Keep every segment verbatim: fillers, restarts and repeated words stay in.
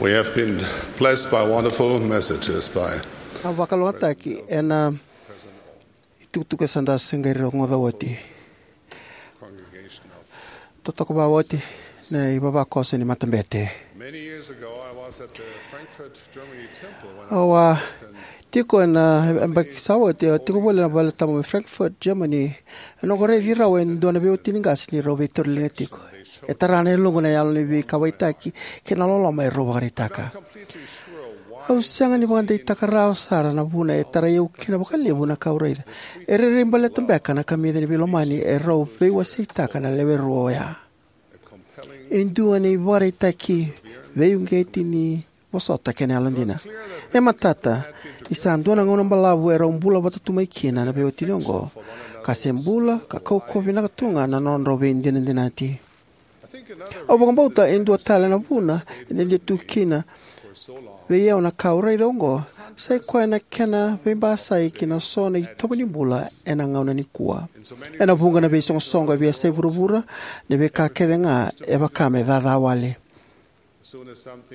We have been blessed by wonderful messages by a vakalougatataki ena itukutuku e sa da se qai rogoca oti. Totoka vakaoti na ivavakoso ni matabete. Many years ago, I was at the Frankfurt, Germany temple when I au a tiko ena yabaki sa oti, au tiko voli ena vale tabu mai Frankfurt, Germany. Ena noqu raici rau e dua na veiwatini qase ni rau veitauriliga tiko. E tara na yaloqu na yalo ni veikauwaitaki kei na loloma e rau vakaraitaka. Au sega ni vakadeitaka rawa sara na vuna e tarai au kina vakalevu na ka au raica. E rairai baleta beka na kamica ni veilomani e rau veiwaseitaka na lewe rua oya. E dua na ivakaraitaki veiuqeti ni vosota kei na yalodina. E matata ni sa dua na gauna balavu e rau bula vata tu mai kina na veiwatini oqo, ka se bula ka kaukauwa vinaka tu ga na nodrau veidinadinati. Au vakabauta e dua tale na vuna e dede tu kina vei au na ka au raica oqo, sai koya na kena veibasai ki na so na itovo ni bula ena gauna nikua. Ena vuqa na veisoqosoqo e veiyasai vuravura, na veika kece ga e vaka me caca wale.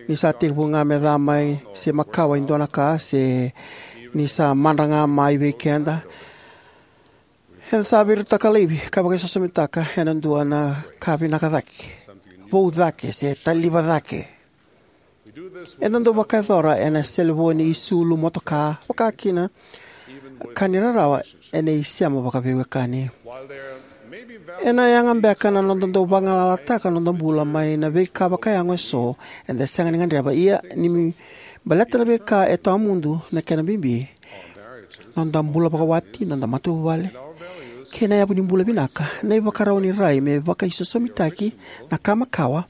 Ni sa tekivu ga me ca mai se makawa e dua na ka, se ni sa madra ga mai vei keda, eda sa veirataka laivi ka vakaisosomitaka ena dua na ka vinaka cake, vou cake, se taliva cake. Eda dau vakayacora ena selevoni, isulu, motoka, vaka kina ka ni rarawa ena isema vakaveiwekani. Ena yaga beka na noda dau vagalalataka na noda bula mai na veika vakayago eso eda sega ni gadreva, ia ni baleta na veika e tawamudu na kena bibi, noda bula vakawati, noda matavuvale, kei na yavu ni bula vinaka, na ivakarau ni rai me vakaisosomitaki na ka makawa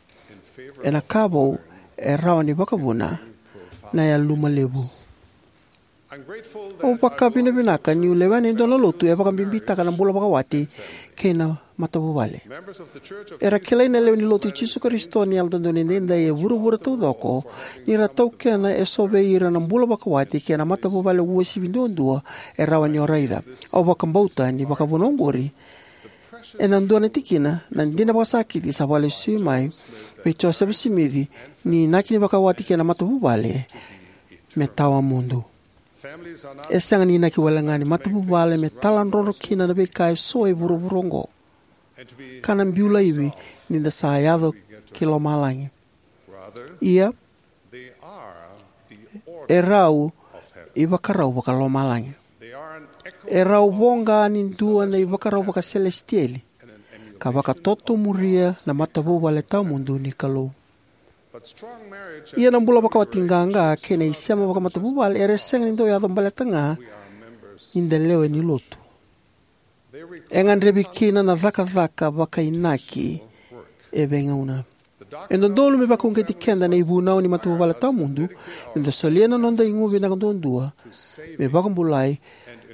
ena ka vou e rawa ni vakavuna na yaluma levu. Au vakavinavinaka niu lewena e dua na lotu e vakabibitaka na bula vakawati kei na matavuvale. Era kilai na lewe ni Lotu i Jisu Karisito ni Yalododonu Edaidai e vuravura taucoko ni ra taukena eso vei ira na bula vakawati kei na matavuvale uasivi duadua e rawa ni o raica. Au vakabauta ni vakavuna oqori ena dua na tikina na dina vakasakiti sa vakalesui mai vei Josefa Simici ni inaki ni vakawati kei na matavuvale me tawamudu. E sega ni inaki wale ga ni matavuvale me taladrodro kina na veika eso e vuravura oqo, ka na biu laivi ni da sa yaco ki lomalagi. Ia, e rau ivakarau vakalomalagi. E rau voqa ni dua na ivakarau vakaselesitieli ka vakatotomuria na matavuvale tawamudu ni Kalou. Ia na bula vakawati qaqa kei na isema vakamatavuvale era sega ni dau yaco baleta ga ni da lewe ni lotu. E gadrevi kina na cakacaka vakainaki e veigauna. E dodonu me vakauqeti keda na ivunau ni matavuvale tawamudu, me da solia na noda igu vinaka duadua me vakabulai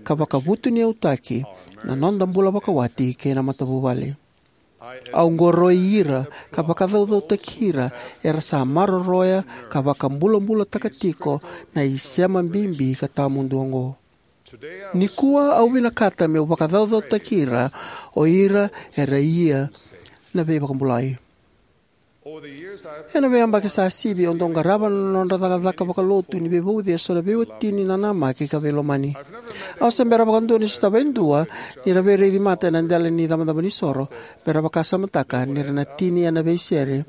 ka vakavutuniyautaki na noda bula vakawati kei na matavuvale. Au qoroi ira ka vakacaucautaki ira era sa maroroya ka vakabulabulataka tiko na isema bibi ka tawamudu oqo. Nikua au vinakata meu vakacaucautaki ira, o ira era ia na veivakabulai. Ena veiyabaki sa sivi, au dau qarava na nodra cakacaka vakalotu ni veivauci eso na veiwatini nanamaki ka veilomani. Au se bera vakadua ni sotava e dua ni ra veiraici mata ena dela ni icabocabo ni soro me ra vakasamataka ni ra na tini ena veisere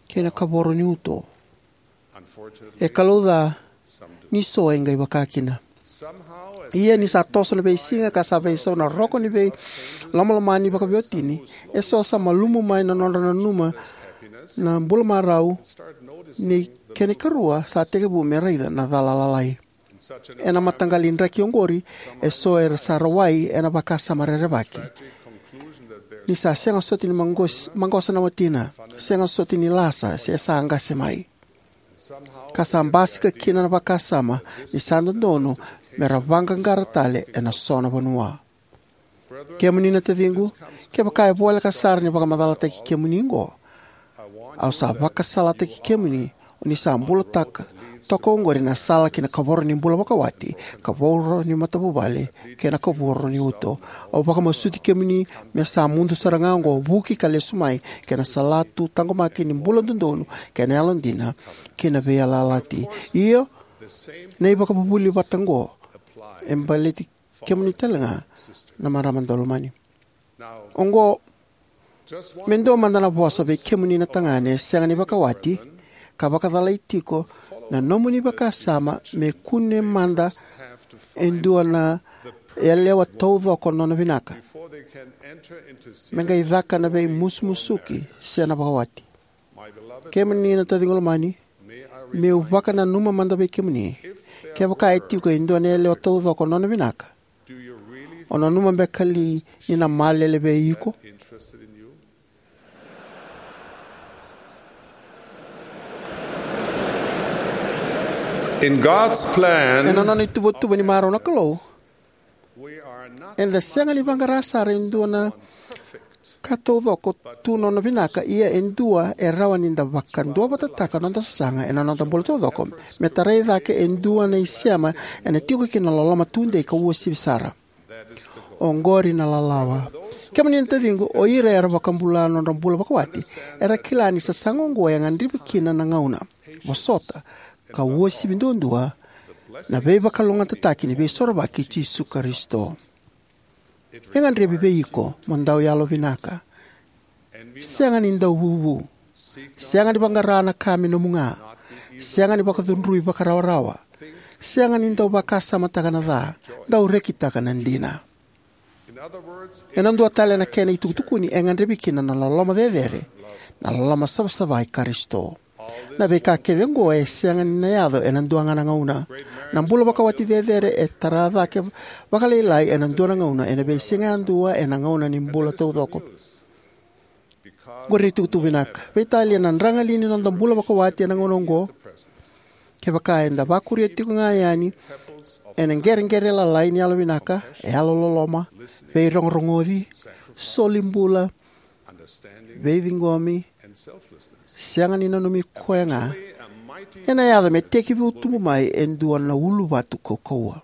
kei na kavoro ni uto. E kalouca, ni so e qai vaka kina. Ia ni sa toso na veisiga ka sa veisau na roka ni veilomalomani vakaveiwatini, eso sa malumu mai na nodra nanuma na bula marau, ni kena ikarua sa tekivu me raica na cala lalai. Ena mataqali draki oqori, eso era sa rawai ena vakasama rerevaki ni sa sega soti ni maqos-, maqosa na watina, sega soti ni lasa, se sa qase mai. Ka sa basika kina na vakasama ni sa dodonu me ra vaqaqara tale ena so na vanua. Kemuni na taciqu, kevaka e voleka sara ni vakamacalataki kemuni oqo, au sa vakasalataki kemuni o ni sa bulataka Toka oqori na sala ki na kavoro ni bula vakawati, kavoro ni matavuvale, kei na kavoro ni uto. Au vakamasuti kemuni me sa mudu sara ga oqo, vuki ka lesu mai ki na salatu taqomaki ni bula dodonu kei na yalodina kei na veiyalayalati. Io, na ivakavuvuli vata oqo e baleti kemuni talega, na marama daulomani. Oqo me dua mada na vosa vei kemuni na tagane sega ni vakawati ka vakacalai tiko na nomuni vakasama me kune mada e dua na yalewa taucoko nona vinaka me qai caka na veimusumusuki se na vakawati. Kemuni na taciqu lomani, meu vakananuma mada vei kemuni. Kevaka e tiko e dua na yalewa taucoko nona vinaka, o nanuma beka li ni na malele vei iko? In God's plan, ena nona ituvatuva ni marau na Kalou, eda sega ni vaqara sara e dua na ka taucoko tu nona vinaka, ia e dua e rawa ni da vakaduavatataka noda sasaga ena noda bula taucoko me tarai cake e dua na isema ena tiko kina na loloma tudei ka uasivi sara. Oqori na lalawa. Kemuni na taciqu, o ira era vakabula nodra bula vakawati era kila ni sasaga oqo e gadrevi kina na gauna, vosota, ka uasivi duadua na veivakalougatataki ni Veisorovaki i Jisu Karisito. E gadrevi vei iko mo dau yalovinaka, sega ni dau vuvu, sega ni vaqara na ka me nomu ga, sega ni vakacudrui vakarawarawa, sega ni dau vakasamataka na ca, dau rekitaka na dina. Ena dua tale na kena itukutukuni, e gadrevi kina na loloma cecere, na loloma savasava i Karisito. Na veika kece oqo e sega ni na yaco ena dua ga na gauna. Na bula vakawati cecere e tara cake vakalailai ena dua na gauna, ena veisiga yadua, ena gauna ni bula taucoko. Qori na itukutuku vinaka. Veitalia na dragali ni noda bula vakawati ena gauna oqo. Kevaka eda vakuria tiko ga yani ena qereqere lalai ni yalovinaka, yalololoma, veirogorogoci, soli bula, veiciqomi, sega ni nanumi koya ga, ena yaco me tekivu tubu mai e dua na uluvatu kaukauwa.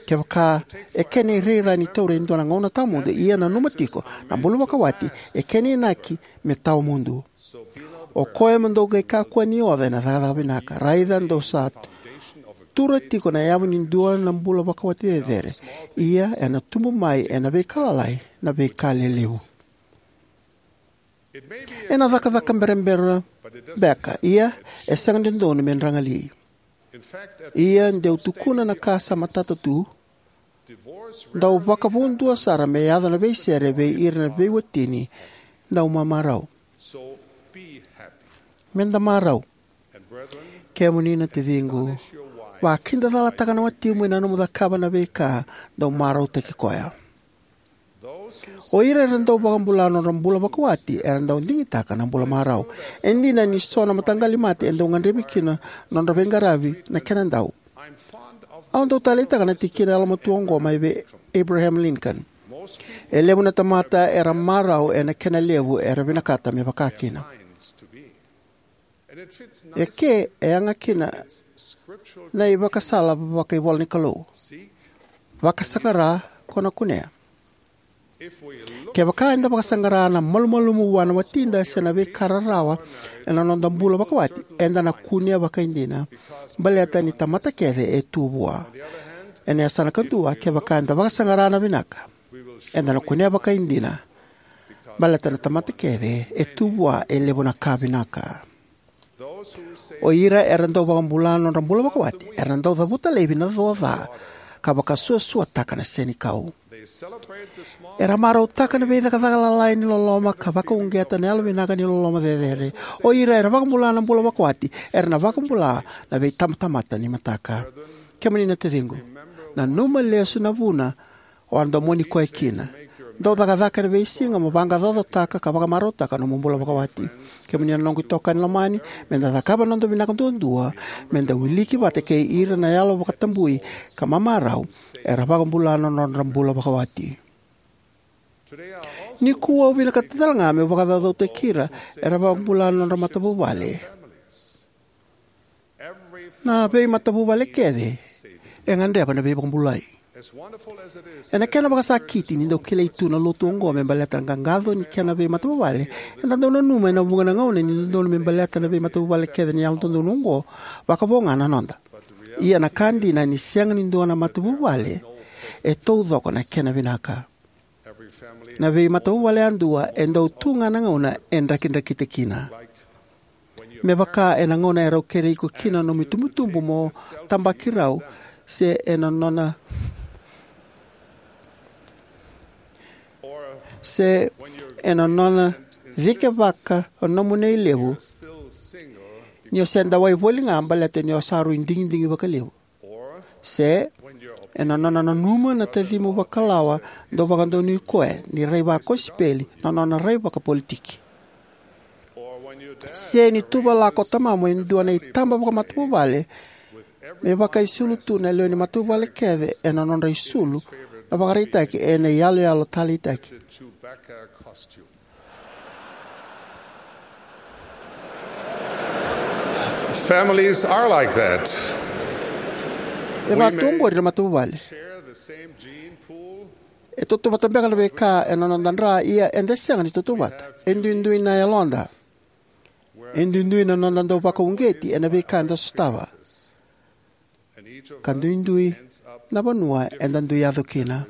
Kevaka e kena irairai ni taura e dua na gauna tawamudu, ia nanuma tiko, na bula vakawati e kena inaki me tawamudu. O koya mo dou qai kakua ni oca ena cakacaka vinaka. Raica dou sa tura tiko na yavu ni dua na bula vakawati cecere, ia ena tubu mai ena veika lalai na veika lelevu. Ena cakacaka berabera beka, ia e sega ni dodonu me dragali. Ia deu tukuna na ka sa matata tu, dau vakavudua sara me yaco na veisere vei ira na veiwatini. Dau mamarau. Me da marau. Kemuni na taciqu, vakidacalataka na watimu ena nomu cakava na veika, dau marautaki koya. O ira era dau vakabula nodra bula vakawati era dau digitaka na bula marau. E dina ni so na mataqali mate e dau gadrevi kina nodra veiqaravi na kena dau. Au dau taleitaka na tikina yalomatua oqo mai vei Abraham Lincoln: "E levu na tamata era marau ena kena levu era vinakata me vaka kina." E ke e yaga kina na ivakasala vakaivola ni Kalou: "Vakasaqara, ko na kunea." Kevaka eda vakasaqara na malumalumu vua na watida se na veika rarawa ena noda bula vakawati, eda na kunea vakaidina, baleta ni tamata kece e tu vua. Ena yasana kadua, kevaka eda vakasaqara na vinaka, eda na kunea vakaidina, baleta na tamata kece e tu vua e levu na ka vinaka. O ira era dau vakabula nodra bula vakawati era dau cavuta laivi na co ca ka vakasuasuataka na senikau. Era marautaka na veicakacaka lalai ni loloma ka vakauqeta na yalovinaka ni loloma cecere. O ira era vakabula na bula vakawati era na vakabula na veitabatamata ni mataka. Kemuni na taciqu, nanuma lesu na vuna o a domoni koya kina. Dau cakacaka ena veisiga mo vaqaqacotaka ka vakamarautaka nomu bula vakawati. Kemuni na noqu itokani lomani, me da cakava na noda vinaka duadua me da wiliki vata kei ira na yalo vakatabui ka mamarau era vakabula na nodra bula vakawati. Nikua au vinakata tale ga meu vakacaucautaki ira era vakabula na nodra matavuvale. Na veimatavuvale kece e gadreva na veivakabulai. Ena kena vakasakiti ni dau kilai tu na lotu oqo me baleta na qaqaco ni kena veimatavuvale, eda dau nanuma ena vuqa na gauna ni dodonu me baleta na veimatavuvale kece ni yalododonu oqo, vakavo ga na noda. Ia na ka dina ni sega ni dua na matavuvale e taucoko na kena vinaka. Na veimatavuvale yadua e dau tu ga na gauna e drakidrakita kina. Me vaka ena gauna e rau kere iko kina na nomu itubutubu mo tabaki rau, se ena nona se ena nona cikevaka o nomu nei levu, ni o se dawai voli ga baleta ni o sa rui digidigi vakalevu. Se ena nona nanuma na tacimu vakalawa dau vakadonui koya ni rai vakosipeli na nona rai vakapolitiki. Se ni tuvalaka o tamamu e dua na itaba vakamatavuvale me vakaisulu tu na lewe ni matavuvale kece ena nodra isulu na vakaraitaki ena iyaloyalo taleitaki. Families are like that. E vakatu oqori na matavuvale. E tautauvata beka na veika ena noda dra, ia eda sega ni tautauvata. E duidui na yaloda. E duidui na noda dau vakauqeti ena veika eda sotava. Ka duidui na vanua eda dui yaco kina.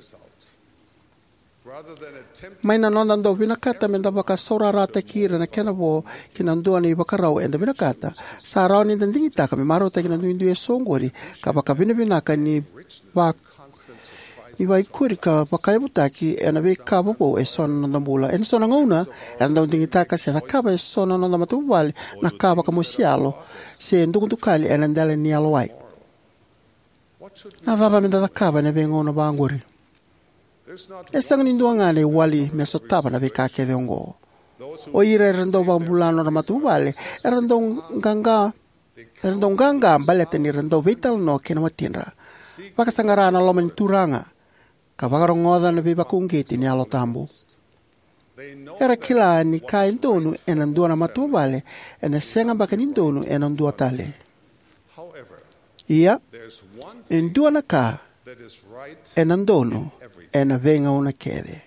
Mai na noda dau vinakata meda vakasaurarataki ira na kena vo ki na dua na ivakarau eda vinakata, sa rawa ni da digitaka me marautaki na duidui eso oqori ka vakavinavinaka ni va ni vaikuri ka vakayavutaki ena veika vovou eso na noda bula. Ena so na gauna era dau digitaka se cakava eso na noda matavuvale na ka vakamosi yalo se dukadukali ena dela ni yalowai. Na cava meda cakava ena veigauna vaqori? E sega ni dua ga na iwali me sotava na veika kece oqo. O ira era dau vakabula nodra matavuvale era dau qaqa era dau qaqa baleta ni ra dau veitalanoa kei na watidra, vakasaqara na loma ni Turaga, ka vakarogoca na veivakauqeti ni Yalo Tabu. Era kila ni ka e donu ena dua na matavuvale ena sega beka ni donu ena dua tale. Ia, e dua na ka ena donu ena veigauna kece.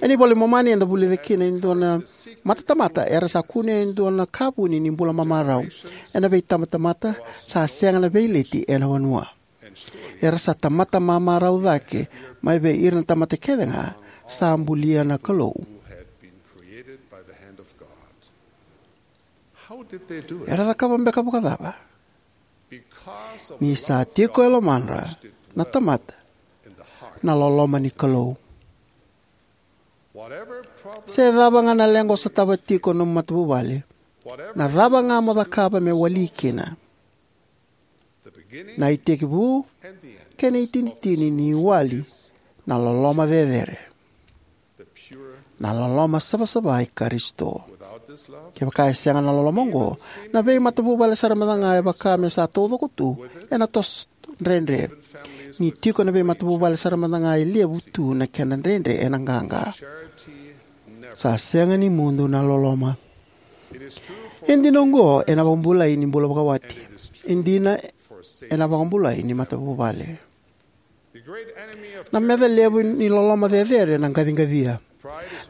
Ena iVola i Momani eda vulica kina e dua na matatamata era sa kunea e dua na ka vuni ni bula mamarau. Ena veitabatamata sa sega na veileti ena vanua. Era sa tamata mamarau cake mai vei ira na tamata kece ga sa bulia na Kalou. Era cakava beka vakacava? Ni sa tiko e lomadra na tamata na loloma ni Kalou. Se cava ga na leqa o sotava tiko na nomu matavuvale, na cava ga mo cakava me wali kina, na itekivu kei na itinitini ni wali na loloma cecere, na loloma savasava i Karisito. Kevaka e sega na loloma oqo, na veimatavuvale sara mada ga e vaka me sa taucoko tu ena toso dredre. Ni tiko na veimatavuvale sara mada ga e levu tu na kena dredre ena qaqa. Sa sega ni mudu na loloma. E dina oqo ena vakabulai ni bula vakawati. E dina ena vakabulai ni matavuvale. Na meca levu ni loloma cecere na qaciqacia.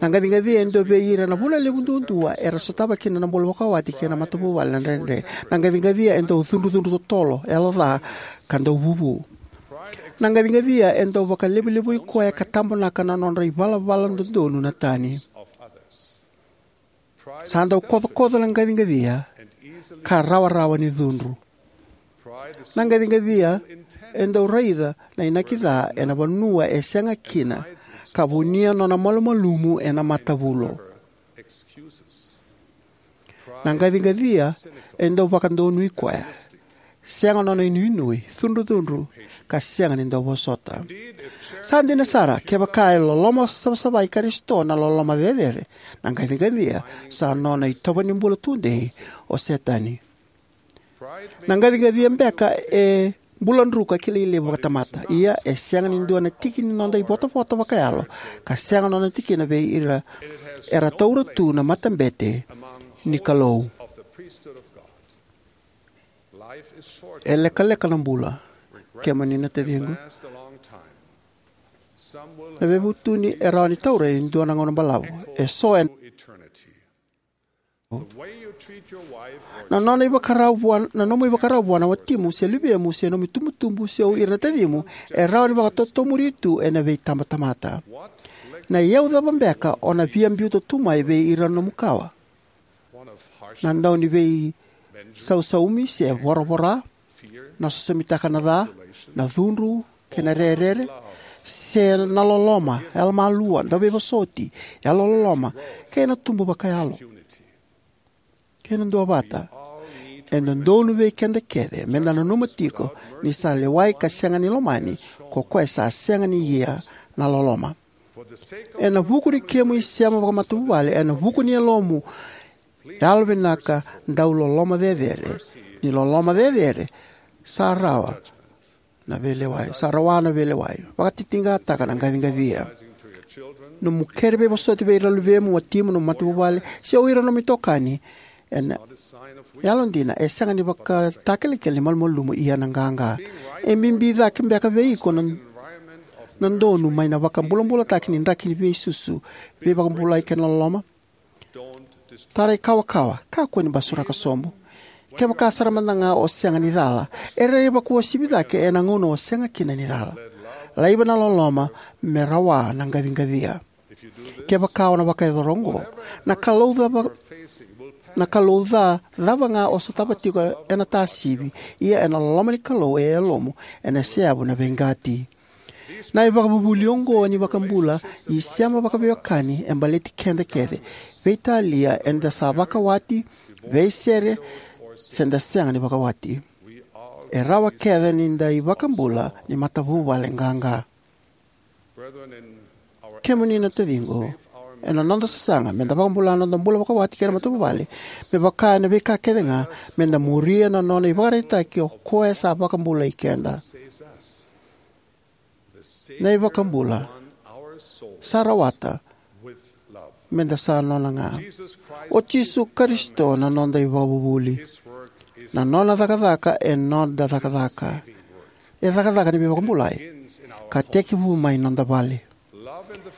Na qaciqacia e dua vei ira na vuna levu duadua era sotava kina na bula vakawati kei na matavuvale na dredre. Na qaciqacia e dau cudrucudru totolo, yaloca, ka dau vuvu. Na qaciqacia e dau vakalevulevui koya ka tabonaka na nodra ivalavala dodonu na tani. Sa dau kocokoco na qaciqacia ka rawarawa ni cudru. Na qaciqacia e dau raica na inaki ca ena vanua e sega kina ka vunia nona malumalumu ena matavulo. Na qaciqacia e dau vakadonui koya, sega nona inuinui, cudrucudru, ka sega ni dau vosota. Sa dina sara, kevaka e loloma savasava i Karisito na loloma cecere, na qaciqacia sa nona itovo ni bula tudei o Setani. Na qaciqacia beka e bula druka kilai levu vakatamata. Ia, e sega ni dua na tiki ni noda ivotavota vakayalo ka sega nona tikina vei ira era taura tu na matabete ni Kalou. E lekaleka na bula, kemuni na taciqu. Na veivutuni e rawa ni taura e dua na gauna balavu. E so e na nona ivakarau vua, na nomu ivakarau vua na watimu se luvemu se nomu itubutubu se o ira na tacimu, e rawa ni vakatotomuri tu ena veitabatamata. Na iyau cava beka o na via biuta tu mai vei ira na nomu kawa? Na dau ni veisausaumi se voravora, na sosomitaka na ca, na cudru kei na rerere, se na loloma, yalomalua, dauveivosoti, yalololoma, kei na tubu vakayalo, kei na duavata. E dodonu vei keda kece meda nanuma tiko ni sa lewai ka sega ni lomani ko koya sa sega ni ia na loloma. Ena vuku ni kemu isema vakamatavuvale, ena vuku ni yalomu yalovinaka, dau loloma cecere, ni loloma cecere sa rawa na veilewai, sa rawa na veilewai. Vakatitiqataka na qaciqacia. Nomu kere veivosoti vei ira na luvemu, watimu, nomu matavuvale, se o ira na nomu itokani, ena yalodina e sega ni vakatakilakila ni malumalumu ia na qaqa. E bibi cake beka vei iko na, na donu mai na vakabulabulataki ni draki ni veisusu, veivakabulai kei na loloma? Tarai kawakawa, kakua ni basuraka sobu. Kevaka sara mada ga o sega ni cala, e rairai vakauasivi cake ena gauna o sega kina ni cala. Laiva na loloma me rawa na qaciqacia. Kevaka o na vakayacora oqo, na Kalou cava, na Kalou ca cava ga o sotava tiko ena tasivi, ia ena loloma ni Kalou e yalomu ena seyavu na veiqati. Na ivakavuvuli oqo ni vakabula isema vakaveiwekani e baleti keda kece, veitalia eda sa vakawati, veisere, se da sega ni vakawati. E rawa kece ni da ivakabula ni matavuvale qaqa. Kemuni na taciqu, ena noda sasaga meda vakabula na noda bula vakawati kei na matavuvale, me vaka ena veika kece ga, meda muria na nona ivakaraitaki o koya sa vakabulai keda. Na iVakabula sa rawata meda sa nona ga. O Jisu Karisito na noda ivakavuvuli. Na nona cakacaka e noda cakacaka. E cakacaka ni veivakabulai ka tekivu mai noda vale.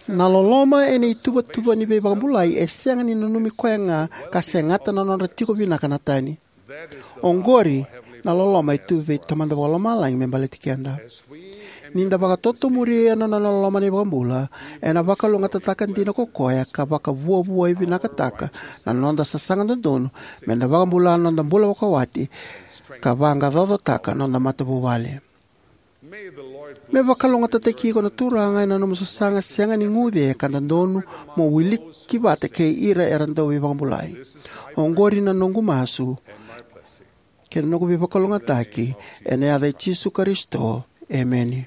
Na loloma ena ituvatuva ni veivakabulai e sega ni nanumi koya ga ka segata na nodra tiko vinaka na tani. Oqori na loloma e tu vei Tamada Vakalomalagi me baleti keda. Ni da vakatotomuria na nona loloma na iVakabula, ena vakalougatataka dina ko koya ka vakavuavuai vinakataka na noda sasaga dodonu meda vakabula na noda bula vakawati ka vaqaqacotaka na noda matavuvale. Me vakalougatataki iko na Turaga ena nomu sasaga sega ni guce ka dodonu mo wiliki vata kei ira era dau veivakabulai. Oqori na noqu masu kei na noqu veivakalougatataki ena yaca i Jisu Karisito. Emeni.